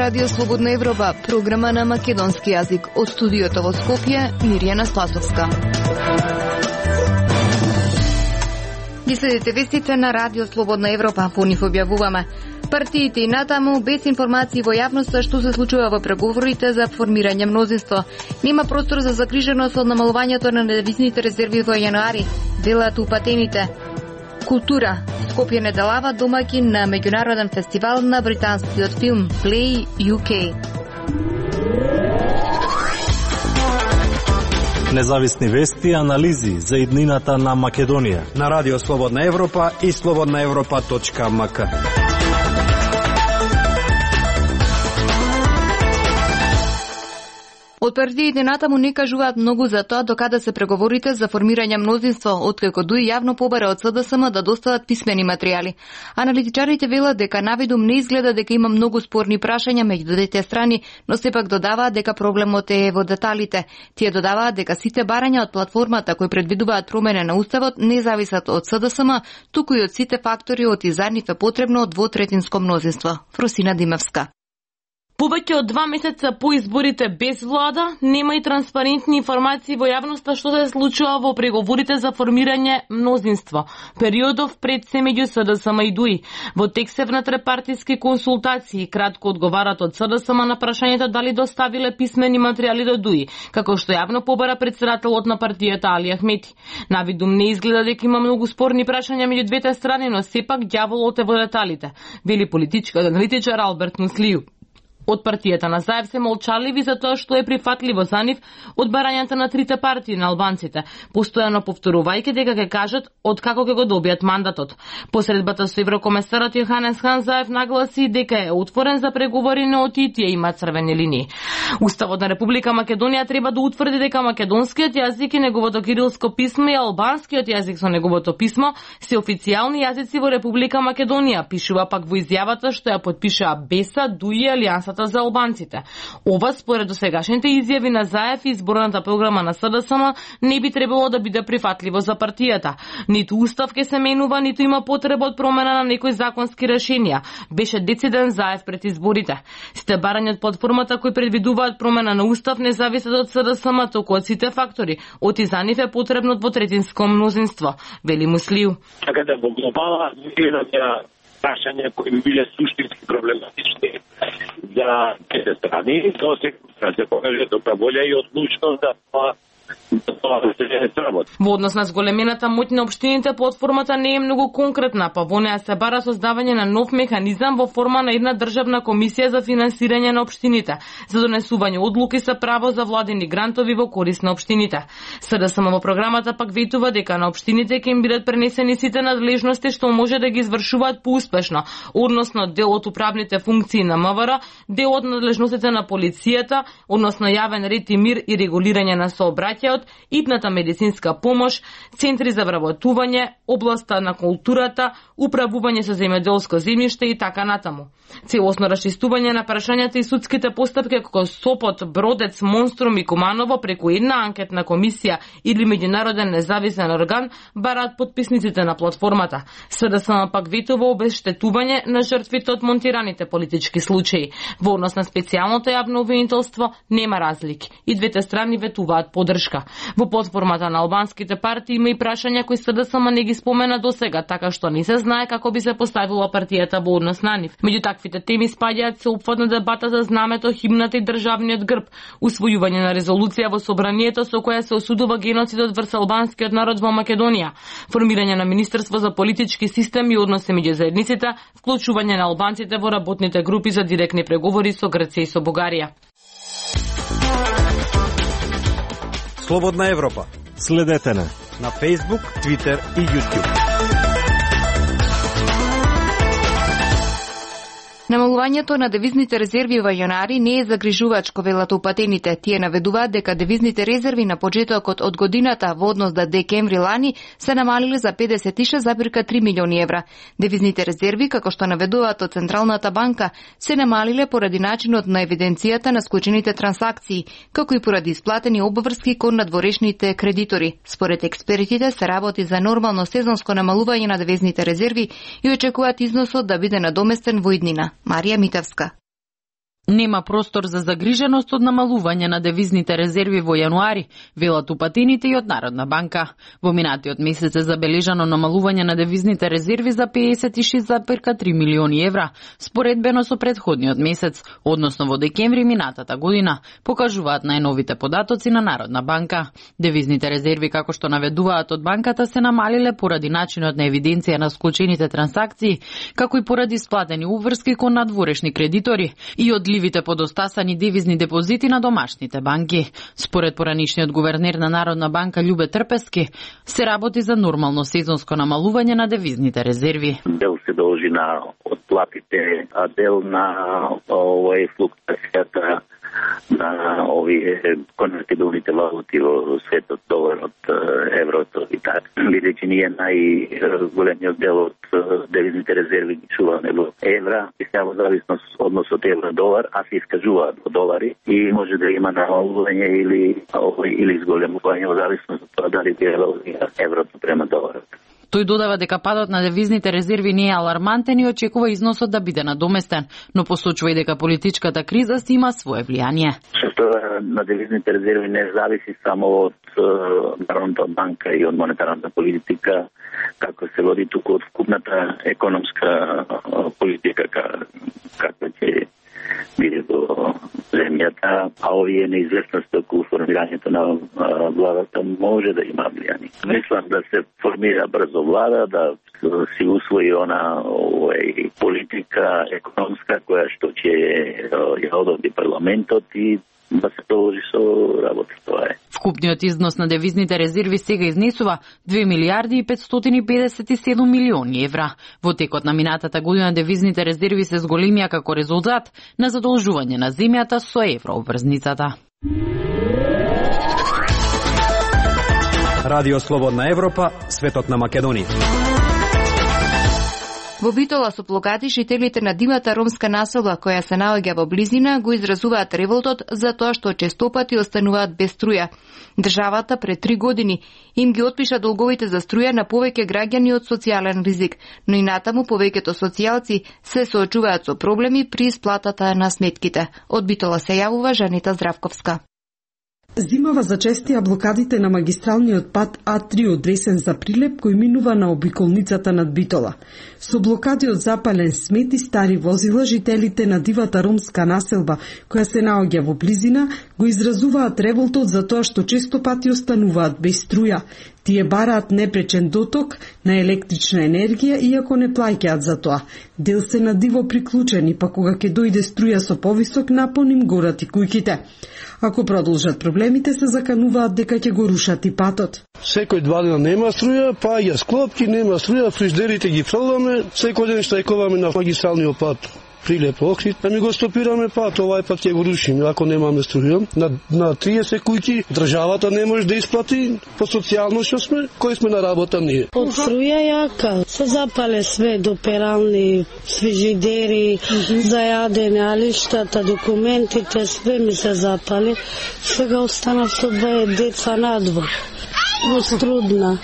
Радио Слободна Европа, програма на македонски јазик. Од студиото во Скопје, Мирјана Спасовска. Ги следите вестите на Радио Слободна Европа, по нив објавуваме. Партиите и натаму без информации во јавноста што се случува во преговорите за формирање мнозинство. Нема простор за загриженост од намалувањето на девизните резерви во јануари, велат упатените. Култура. Скопје неделава домаќин на меѓународен фестивал на британскиот филм Play UK. Независни вести и анализи за иднината на Македонија на Радио Слободна Европа и slobodnaevropa.mk. Од партиите натаму не кажуваат многу за тоа докаде се преговорите за формирање мнозинство, откако ДУИ јавно побара од СДСМ да достават писмени материјали. Аналитичарите велат дека навидум не изгледа дека има многу спорни прашања меѓу двете страни, но сепак додаваат дека проблемот е во деталите. Тие додаваат дека сите барања од платформата кои предвидуваат промена на уставот не зависат од СДСМ, туку и од сите фактори од и за нив е потребно двотретинско мнозинство. Фросина Димевска. Повеќе од 2 месеца по изборите без влада, нема и транспарентни информации во јавноста што се случува во преговорите за формирање мнозинство. Периодов пред се меѓу СДСМ и ДУИ. Во текст внатре-партиски консултации кратко одговарат од СДСМ на прашањето дали доставиле писмени материјали до ДУИ, како што јавно побара председателот на партијата Али Ахмети. Навидум не изгледа дека има многу спорни прашања меѓу двете страни, но сепак ѓаволот е во деталите, вели политичкиот аналитичар Алберт Муслију. Од партијата на Заев се молчаливи за тоа што е прифатливо за нив од барањата на трите партии на албанците, постојано повторувајќи дека ќе кажат од како ќе го добијат мандатот. Посредбата со еврокомесарот Јоханес Хан Заев нагласи дека е отворен за преговори, но од тие има црвени линии. Уставот на Република Македонија треба да утврди дека македонскиот јазик и неговото кирилско писмо и албанскиот јазик со неговото писмо се официјални јазици во Република Македонија, пишува пак во изјавата што ја потпишаа БЕСА, ДУИ и Алијансата за албанците. Ова според досегашните изјави на Заев и изборната програма на СДСМ не би требало да биде прифатливо за партијата. Ниту устав ќе се менува, ниту има потреба од промена на некои законски решенија. Беше дециден Заев пред изборите. Сите барања од платформата кои предвидуваат промена на устав не зависат од СДСМ, туку од сите фактори. Од и за нив е потребно двотретинско мнозинство, вели Муслију. Така да во глобала прашања кои би биле суштински проблематични за двете страни, то се покаже добра волја и одлучност да тоа се сработи. Во однос на зголемената моќ на општините, платформата не е многу конкретна, па во неа се бара создавање на нов механизам во форма на една државна комисија за финансирање на општините, за донесување одлуки со право за владени грантови во корист на општините. СДСМ во програмата пак ветува дека на општините ќе им бидат пренесени сите надлежности што може да ги извршуваат поуспешно, односно дел од управните функции на МВР, дел од надлежностите на полицијата, односно јавен ред и мир и регулирање на сообраќајот, итната медицинска помош, центри за вработување, областа на културата, управување со земјоделско земјиште и така натаму. Целосно расчистување на прашањата и судските постапки како Сопот, Бродец, Монструм и Куманово преку една анкетна комисија или меѓународен независен орган бараат потписниците на платформата. СДСМ пак ветува обештетување на жртвите од монтираните политички случаи. Во однос на специјалното јавно обвинителство нема разлики и двете страни ветуваат поддршка. Во платформата на албанските партии има и прашања кои СДСМ не ги спомена досега, така што не се знае како би се поставила партијата во однос на нив. Меѓу таквите теми спаѓаат сеопфатна дебата за знамето, химната и државниот грб, усвојување на резолуција во собранието со која се осудува геноцидот врз албанскиот народ во Македонија, формирање на Министерство за политички систем и односи меѓу заедниците, вклучување на албанците во работните групи за директни преговори со Грција и со Бугарија. Слободна Европа. Следете на Facebook, Twitter и YouTube. Намалувањето на девизните резерви во јануари не е загрижувачко, велат упатените. Тие наведуваат дека девизните резерви на почетокот од годината во однос до декември лани се намалиле за 56,3 милиони евра. Девизните резерви, како што наведуваат од Централната банка, се намалиле поради начинот на евиденцијата на склучените трансакции, како и поради исплатени обврски кон надворешните кредитори. Според експертите се работи за нормално сезонско намалување на девизните резерви и очекуваат износот да биде надоместен во иднина. Марија Митевска. Нема простор за загриженост од намалување на девизните резерви во јануари, велат упатените и од Народна банка. Во минатиот месец е забележано намалување на девизните резерви за 56,3 милиони евра, споредбено со претходниот месец, односно во декември минатата година, покажуваат најновите податоци на Народна банка. Девизните резерви, како што наведуваат од банката, се намалиле поради начинот на евиденција на склучените трансакции, како и поради исплатени уврски кон надворешни кредитори и одливите подостасани девизни депозити на домашните банки. Според поранишниот гувернер на Народна банка Љубе Трпески, се работи за нормално сезонско намалување на девизните резерви. Дел се должи на отплатите, а дел на флуктуацијата на овие конвертибилните валути во светот, доларот, еврото и така. Бидејќи ние најголемиот дел од девизните резерви ги чуваме во евра, и сега во зависност односот евро-долар, а се искажуваат во долари и може да има намалување или зголемување во зависност од тоа дали еврото према доларот. Тој додава дека падот на девизните резерви не е алармантен и очекува износот да биде надоместен, но посочува и дека политичката криза си има свое влијание. Што на девизните резерви не зависи само од Народната банка и од монетарната политика, како се води туку од вкупната економска политика, каква ќе биде во земјата, а овие неизвестности околу формирањето на владата може да има влијание. Мислам да се формира брзо влада, да си усвои она политика економска која што ќе ја одобри парламентот и да се продолжи со работа. Тоа е. Вкупниот износ на девизните резерви сега изнесува 2 милиарди и 557 милиони евра. Во текот на минатата година девизните резерви се зголемија како резултат на задолжување на земјата со еврообврзницата. Радио Слободна Европа, светот на Македонија. Во Битола со плакати жителите на дивата ромска населба која се наоѓа во близина го изразуваат револтот за тоа што честопати остануваат без струја. Државата пред 3 години им ги отпиша долговите за струја на повеќе граѓани од социјален ризик, но и натаму повеќето социјалци се соочуваат со проблеми при исплатата на сметките. Од Битола се јавува Жанита Здравковска. Зимава зачестија блокадите на магистралниот пат А3 од Ресен за Прилеп кој минува на обиколницата над Битола. Со блокади од запален смет и стари возила, жителите на дивата ромска населба која се наоѓа во близина го изразуваат револтот за тоа што често пати остануваат без струја. Тие бараат непречен доток на електрична енергија иако не плаќаат за тоа. Дел се на диво приклучени, па кога ќе дојде струја со повисок напон им горат и куќите. Ако продолжат проблемите, се закануваат дека ќе го рушат и патот. Секој 2 дена нема струја, паѓа склопки, нема струја, фриждерите ги фрламе, секој ден штрајкуваме на магистралниот пат Прилеп Охрид, да ми го стопираме пат, овај пат ќе го рушиме ако немаме струја. На 30 куќи државата не може да исплати по социјално што сме, кој сме на работа ние. Од струја јака, се запале све до перални, фрижидери, за јадење, алиштата, документите, све ми се запали. Сега останав со 2 деца надвор. Во Струдна.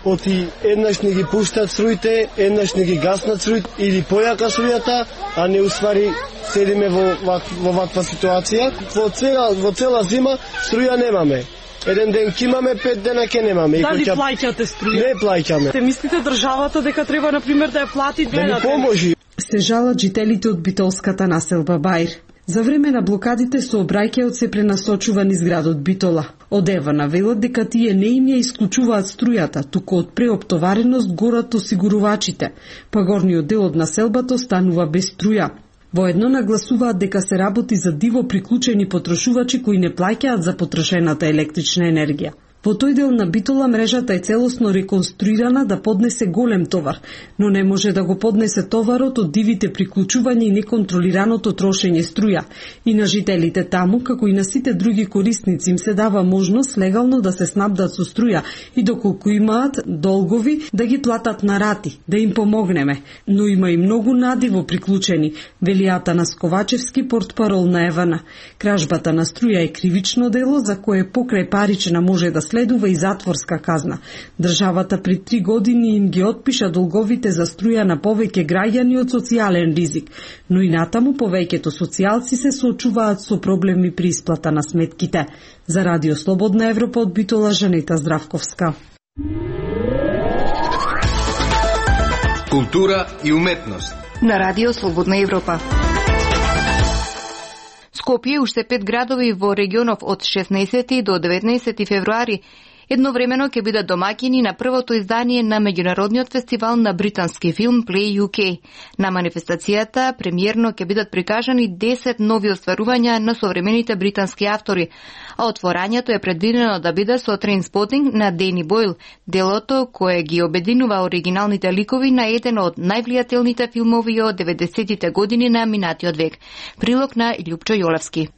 Оти еднаш не ги пуштат струите, еднаш не ги гаснат струите или појака струјата, а не уствари седиме во ваква ситуација. Во цела зима струја немаме. Еден ден ќе имаме, 5 дена ќе немаме. Дали плаќате струја? Не плаќаме. Те мислите државата дека треба на пример да ја плати да ни поможи? Се жалат жителите од битолската населба Бајр. За време на блокадите сообраќајот се пренасочува низ градот Битола. Од Ева навелат дека тие не им ја исклучуваат струјата, туку од преоптовареност горат осигурувачите, па горниот дел од населбата останува без струја. Воедно нагласуваат дека се работи за диво приклучени потрошувачи кои не плаќаат за потрошената електрична енергија. Во тој дел на Битола мрежата е целосно реконструирана да поднесе голем товар, но не може да го поднесе товарот од дивите приклучувања и неконтролираното трошење струја. И на жителите таму, како и на сите други корисници, им се дава можност легално да се снабдат со струја и доколку имаат долгови да ги платат на рати, да им помогнеме. Но има и многу надиво приклучени, вели Атанас Ковачевски, портпарол на Евана. Кражбата на струја е кривично дело за кое покрај парична може да следува и затворска казна. Државата при 3 години им ги отпиша долговите за струја на повеќе граѓани од социјален ризик, но и натаму повеќето социјалци се соочуваат со проблеми при исплата на сметките. За Радио Слободна Европа од Битола, Жанета Здравковска. Култура и уметност на Радио Слободна Европа. Скопје уште 5 градови во регионов од 16 до 19 февруари едновремено ќе бидат домаќини на првото издание на меѓународниот фестивал на британски филм Play UK. На манифестацијата премиерно ќе бидат прикажани 10 нови остварувања на современите британски автори, а отворањето е предвидено да биде со Trainspotting на Дени Бойл, делото кое ги обединува оригиналните ликови на еден од највлијателните филмови од 90-тите години на минатиот век. Прилог на Љупчо Јолевски.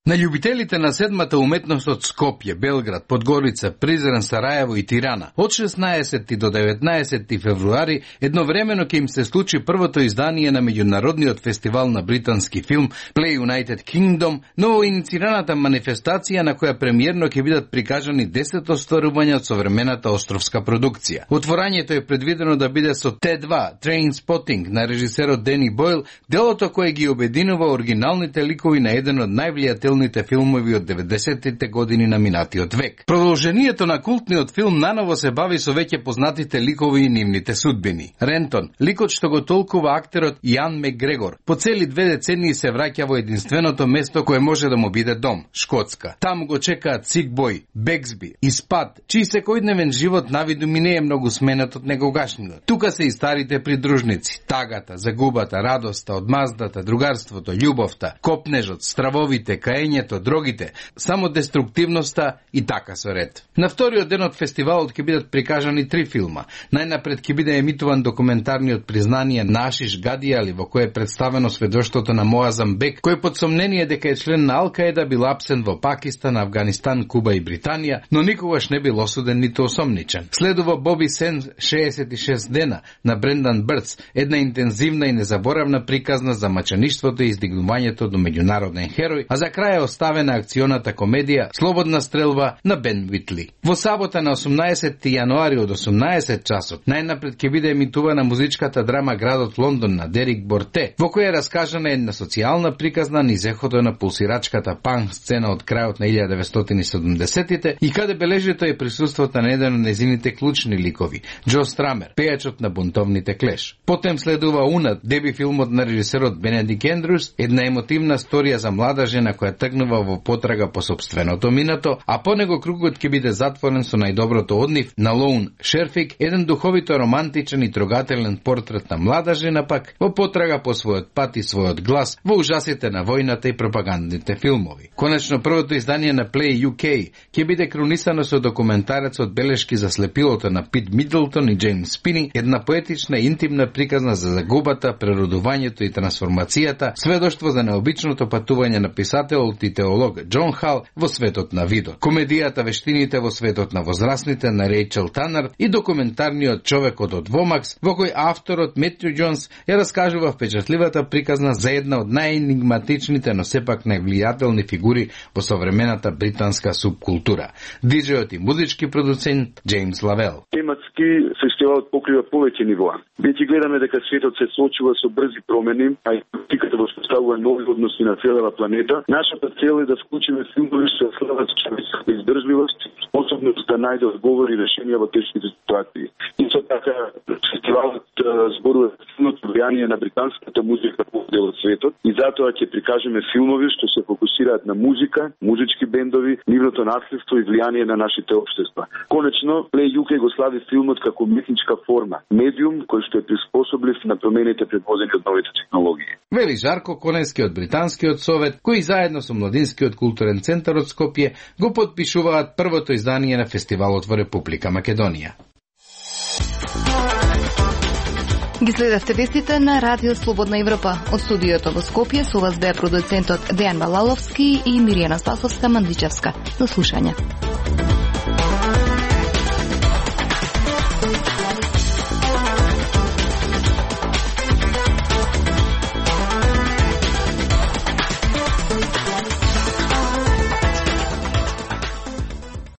На љубителите на седмата уметност од Скопје, Белград, Подгорица, Призрен, Сараево и Тирана, од 16 до 19 февруари едновремено ќе им се случи првото издание на меѓународниот фестивал на британски филм Play United Kingdom, новоиницираната манифестација на која премиерно ќе бидат прикажани 10 остварувања од современата островска продукција. Отворањето е предвидено да биде со Т2, Trainspotting на режисерот Дени Бойл, делото кое ги обединува оригиналните ликови на еден од највлијателните филмови од 90-тите години на минатиот век. Продолжението на култниот филм наново се бави со веќе познатите ликови и нивните судбини. Рентон, ликот што го толкува актерот Јан Макгрегор, по цели 2 децении се враќа во единственото место кое може да му биде дом, Шкотска. Таму го чекаат Сик Бој, Бексби и Спад, чиј секојдневен живот навиду ми не е многу сменет од негогашниот. Тука се и старите придружници, тагата, загубата, радоста, одмаздата, другарството, љубовта, копнежот, стравовите, каењето, дрогите, само деструктивноста и така со ред. На вториот ден од фестивалот ќе бидат прикажани 3 филма. Најнапред ќе биде емитуван документарниот признание на Ашиш Гадијали, во кој е представено сведоштвото на Моазам Бек, кој под сомнение дека е член на Ал-Каеда бил апсен во Пакистан, Афганистан, Куба и Британија, но никогаш не бил осуден ниту осомничен. Следува Боби Сен 66 дена на Брендан Бърц, една интензивна и незаборавна приказна за мачаништвото и издигнувањето до меѓународен херој, а за крај е оставена акционата комедија Слободна стрелба на Бен Витли. Во сабота на 18 јануари од 18 часот најнапред ќе биде емитувана музичката драма Градот Лондон на Дерик Борте, во која е раскажана една социјална приказна низ ехото на пулсирачката панк сцена од крајот на 1970-тите и каде бележито е присуството на еден од незините клучни ликови, Џо Страмер, пејачот на бунтовните Клеш. Потем следува Унат, деби филмот на режисерот Бенедик Ендрус, една емотивна сторија за млада жена која тргнува во потрага по собственото минато, а по него кругот ќе биде затворен со најдоброто од нив на Лоун Шерфик, еден духовито романтичен и трогателен портрет на млада жена пак во потрага по својот пат и својот глас во ужасите на војната и пропагандните филмови. Конечно, првото издание на Play UK ќе биде кронисано со документарецот белешки за слепилото на Пит Мидлтон и Джеймс Спини, една поетична и интимна приказна за загубата, преродувањето и трансформацијата, сведоштво за необичното патување на писателот и теолог Џон Хал во светот на видот. Комедијата Вештините во светот на возрастните на Рејчел Танер и документарниот Човекот од Вомакс, во кој авторот Метју Џонс ја раскажува впечатливата приказна за една од најенигматичните, но сепак највлијателни фигури во современата британска субкултура. Диџејот и музички продуцент Джеймс Лавел. Тематски фестивалот покрива повеќе нивоа. Веќе гледаме дека светот се соочува со брзи промени, а и политиката воспоставува нови односи на целава планета. Нашата цел е да вклучиме филмови со слават човечка издржливост, способност да најде одговори и решенија во тешките ситуации. Исто така, фестивалот зборува силното влијание на британската музика по дел од светот и затоа ќе прикажеме филмови што се фокусираат на музика, музички бендови, нивното наследство и влијание на нашите општества. Конечно, Play UK го слави филмот како уметничка форма, медиум кој што е приспособлив на промените предводени од новите технологии. Вели Жарко Конески од Британскиот совет, кои заедно со Младинскиот културен центар од Скопје го подпишуваат првото издание на фестивалот во Република Македонија. Ги следевте вестите на Радио Слободна Европа. Од студиото во Скопје со вас беа продуцентот Дејан Балаловски и Миријана Спасовска Мандичевска. До слушање.